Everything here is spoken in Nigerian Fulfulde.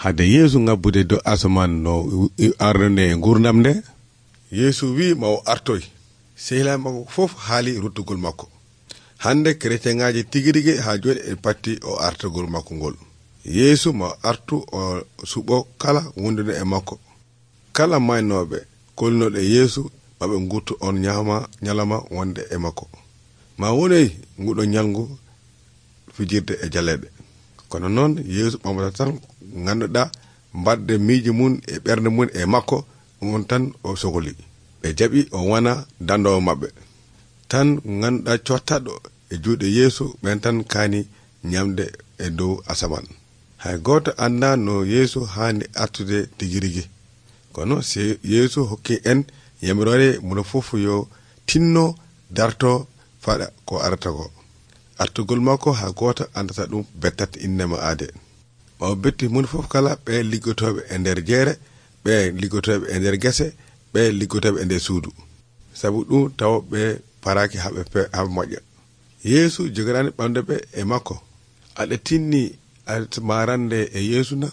hade Yeesu ngabbude dow asaman no arnone e gurdam nde. Yeesu wi ma o artoy. Sehilaɓe makko fof haali ruttugol makko. Hande chrétienŋaji tigirigi ha joni e patti o artugol makko ngol. Yeesu ma artu o suɓo kala wondude e makko. Kala maynoɓe kolnoɗe Yeesu maɓe gurtu on nyalama wonde e makko. Ma wonoy nguɗo nyalngu fijirde e jaleɗe. Kono noon Yeesu ɓamata tan ganduɗa mbadde miiji mun e ɓernde mun e makko, on tan o sohli. Ɓe jaɓi o wana dandowo maɓɓe. Tan ganduɗa cottaɗo e juuɗe Yeesu ɓen tan kaani nyamde e dow asaman. Hay goto anda no Yeesu handi artude tigirigi. Kono si Yeesu hokki en yamirore muno fof yo tinno darto faɗa ko arata ko. Artugol makko ha goto andata ɗum bettat innema aade. Ma o betti mun fof kala ɓe liggotoɓe e nder jeere, ɓe liggotoɓe e nder gese, ɓe liggotoɓe e nder suudu. Sabu ɗum taw ɓe paraki haɓe moƴƴa. Yeesu jogorani ɓamde ɓe e makko. Aɗa tinni marande e Yeesu na?